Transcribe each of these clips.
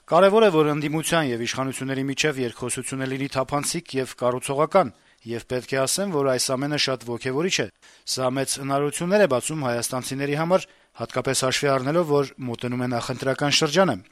Կարեւոր է, որ ընդդիմության եւ իշխանությունների միջեւ երկխոսությունը լինի թափանցիկ եւ կառուցողական, եւ պետք է ասեմ, որ այս ամենը շատ ոգեւորիչ է։ Սա մեծ հնարավորություններ է բացում հայաստանցիների համար, հատկապես հաշվի առնելով, որ մոտենում է նախընտրական շրջանը։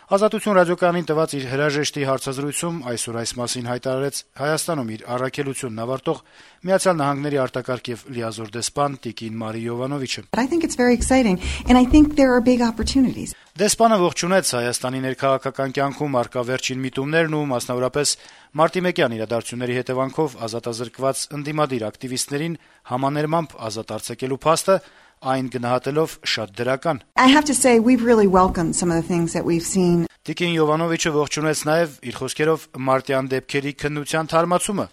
Ազատություն ռադիոկայանին տված իր հրաժեշտի հարցազրույցում այսօր այս մասին հայտարարեց Հայաստանում իր առաքելությունն ավարտող Միացյալ Նահանգների արտակարգ եւ լիազոր դեսպան Տիկին Մարի Յովանովիչը։ I think it's very exciting and I think there are big opportunities. Դեսպանը ողջունեց Հայաստանի ներքաղաքական կյանքում արկա վերջին միտումներն ու մասնավորապես մարտի 1-յան իրադարձությունների հետևանքով ազատազրկված ընդդիմադիր ակտիվիստներին համաներմամբ ազատ արձակելու փաստը այն գնահատելով շատ դրական։ I have to say we've really welcomed some of the things that we've seen. Տիկին Յովանովիչը ողջունեց նաև իր խոսքերով մարտյան դեպքերի քննության թարմացումը,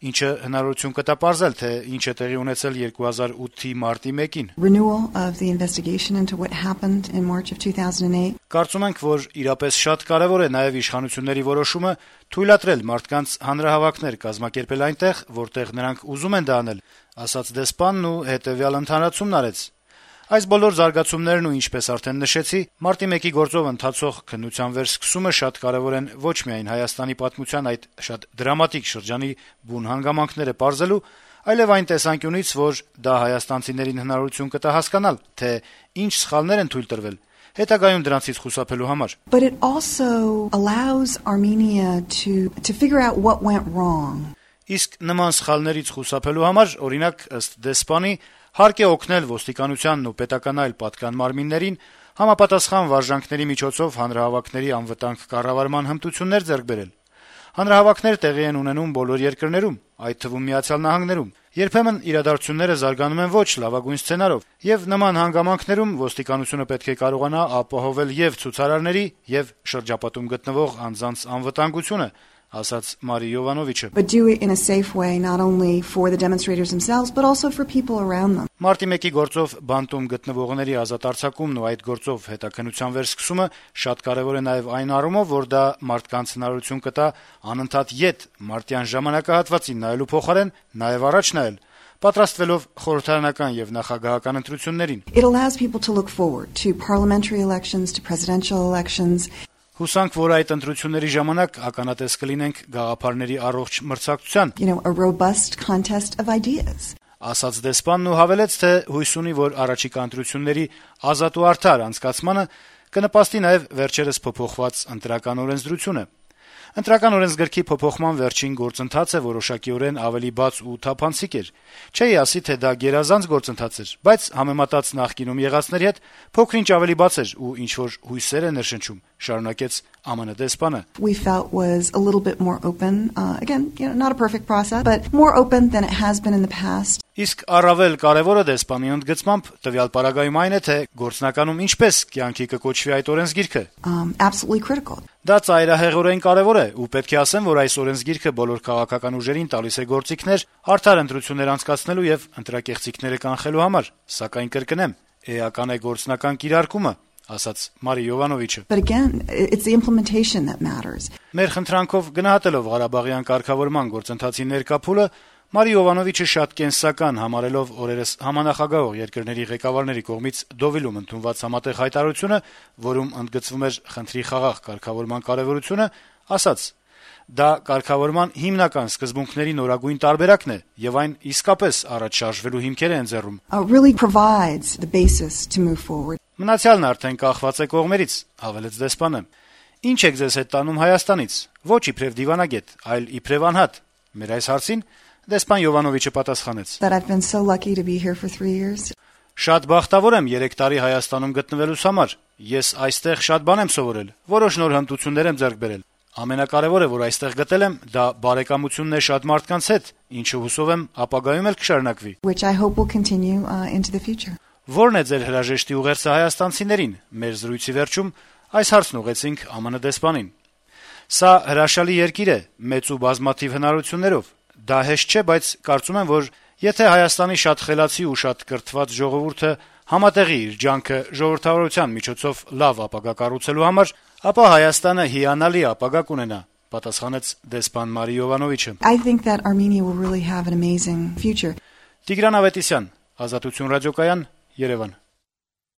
ինչը հնարավորություն կտա պարզել, թե ինչ է տեղի ունեցել 2008-ի մարտի 1-ին։ Renewal of the investigation into what happened in March of 2008. Կարծում ենք, որ իրապես շատ կարևոր է նաև իշխանությունների որոշումը թույլատրել մարդկանց հանրահավաքներ կազմակերպել այնտեղ, որտեղ նրանք ուզում են դա անել, ասաց դեսպանն ու հետեւյալ ընդհանրացումն արեց. Այս բոլոր զարգացումներն ու ինչպես արդեն նշեցի, մարտի 1-ի գործով ընթացող քննության վերսկսումը շատ կարևոր են ոչ միայն Հայաստանի պատմության այդ շատ դրամատիկ շրջանի բուն հանգամանքները պարզելու, այլև այն տեսանկյունից, որ դա հայաստանցիներին հնարավորություն կտա հասկանալ, թե ինչ սխալներ են թույլ տրվել, հետագայում դրանցից խուսափելու համար։ But it also allows Armenia to figure out what went wrong. Իսկ նման սխալներից խուսափելու համար, օրինակ, ըստ դեսպանի, հարկ է օգնել ոստիկանությանն ու պետական այլ պատկան մարմիններին համապատասխան վարժանքների միջոցով հանրահավաքների անվտանգ կառավարման հմտություններ ձեռք բերել։ Հանրահավաքներ տեղի են ունենում բոլոր երկրներում, այդ թվում Միացյալ Նահանգներում։ Երբեմն իրադարձությունները զարգանում են ոչ լավագույն սցենարով, եւ նման հանգամանքներում ոստիկանությունը պետք է կարողանա ապահովել եւ ցուցարարների եւ շրջապատում գտնվող անձանց անվտանգությունը, ասաց Մարի Յովանովիչը։ But do it in a safe way, not only for the demonstrators themselves, but also for people around them. Մարտի 1-ի գործով բանտում գտնվողների ազատ արձակումն ու այդ գործով հետաքննության վերսկսումը շատ կարևոր է նաև այն առումով, որ դա մարդկանց հնարավորություն կտա անընդհատ ետ մարտյան ժամանակահատվածին նայելու փոխարեն նաև առաջ նայել, պատրաստվելով խորհրդարանական եւ նախագահական ընտրություններին։ It allows people to look forward to parliamentary elections, to presidential elections. Հուսանք, որ այդ ընտրությունների ժամանակ ականատես կլինենք գաղափարների առողջ մրցակցության, a robust contest of ideas. Ասաց դեսպանն ու հավելեց, թե հույս ունի, որ առաջիկա ընտրությունների ազատ ու արդար անցկացմանը կնպաստի նաև վերջերս փոփոխված ընտրական օրենսդրությունը։ Ընտրական օրենսգրքի փոփոխման վերջին գործընթացը որոշակիորեն ավելի բաց ու թափանցիկ էր։ Չէի ասի, թե դա գերազանց գործընթաց էր, բայց համեմատած նախկինում եղածների հետ փոքր-ինչ ավելի բաց էր ու ինչ-որ հույսեր է ներշնչում, շարունակեց ԱՄՆ դեսպանը։ We felt was a little bit more open, again, not a perfect process, but more open than it has been in the past. Իսկ առավել կարևորը դեսպանի ընդգծմամբ տվյալ պարագայում այն է, թե գործնականում ինչպես կյանքի կկոչվի այդ օրենսգիրքը։ Absolutely critical. Դա ծայրահեղորեն կարևոր է ու պետք է ասեմ, որ այս օրենսգիրքը բոլոր քաղաքական ուժերին տալիս է գործիքներ արդար ընտրություններ անցկացնելու եւ ընտրակեղծիքները կանխելու համար, սակայն կրկնեմ, էական է գործնական կիրարկումը, ասաց Մարի Յովանովիչը։ But again, it's the implementation that matters. Մեր խնդրանքով գնահատելով Ղարաբաղյան կարգավորման գործընթացի ներկա փուլը, Մարի Յովանովիչը շատ կենսական համարելով օրերս համանախագահող երկրների ղեկավարների կողմից Դովիլում ընդունված համատեղ հայտարարությունը, որում ընդգծվում էր խնդրի խաղաղ կարգավորման կարևորությունը, ասաց. Դա կարգավորման հիմնական սկզբունքների նորագույն տարբերակն է եւ այն իսկապես առաջ շարժվելու հիմքեր է ընձեռում։ Really provides the basis to move forward. Մնացյալն արդեն կախված է կողմերից, հավելեց դեսպանը։ Ինչ եք ձեզ հետ տանում Հայաստանից։ Ոչ իբրև դիվանագետ, այլ իբրև անհատ։ Մեր այս հարցին դեսպան Յովանովիչը պատասխանեց. That I've been so lucky to be here for 3 years. Շատ բախտավոր եմ 3 տարի Հայաստանում գտնվելուս համար։ Ես այստեղ շատ բան եմ սովորել, որոշ նոր հմտություններ եմ ձեռք բերել։ Ամենակարևորը, որ այստեղ գտել եմ, դա բարեկամությունն է շատ մարդկանց հետ, ինչը հուսով եմ ապագայում էլ կշարունակվի։ Which I hope will continue into the future. Որն է ձեր հրաժեշտի ուղերձը հայաստանցիներին։ Մեր զրույցի վերջում այս հարցն ուղեցինք ԱՄՆ դեսպանին։ Սա հրաշալի երկիր է, մեծ ու բազմաթիվ հնարավորություններով։ Դա հեշտ չէ, բայց կարծում եմ, որ եթե Հայաստանի շատ խելացի ու շատ կրթված ժողովուրդը համատեղի իր ջանքը ժողովրդավարության միջոցով լավ ապագա կառուցելու համար, ապա Հայաստանը հիանալի ապագա կունենա, պատասխանեց դեսպան Մարի Յովանովիչը։ I think that Armenia will really have an amazing future. Տիգրան Ավետիսյան, Ազատություն ռադիոկայան, Երևան։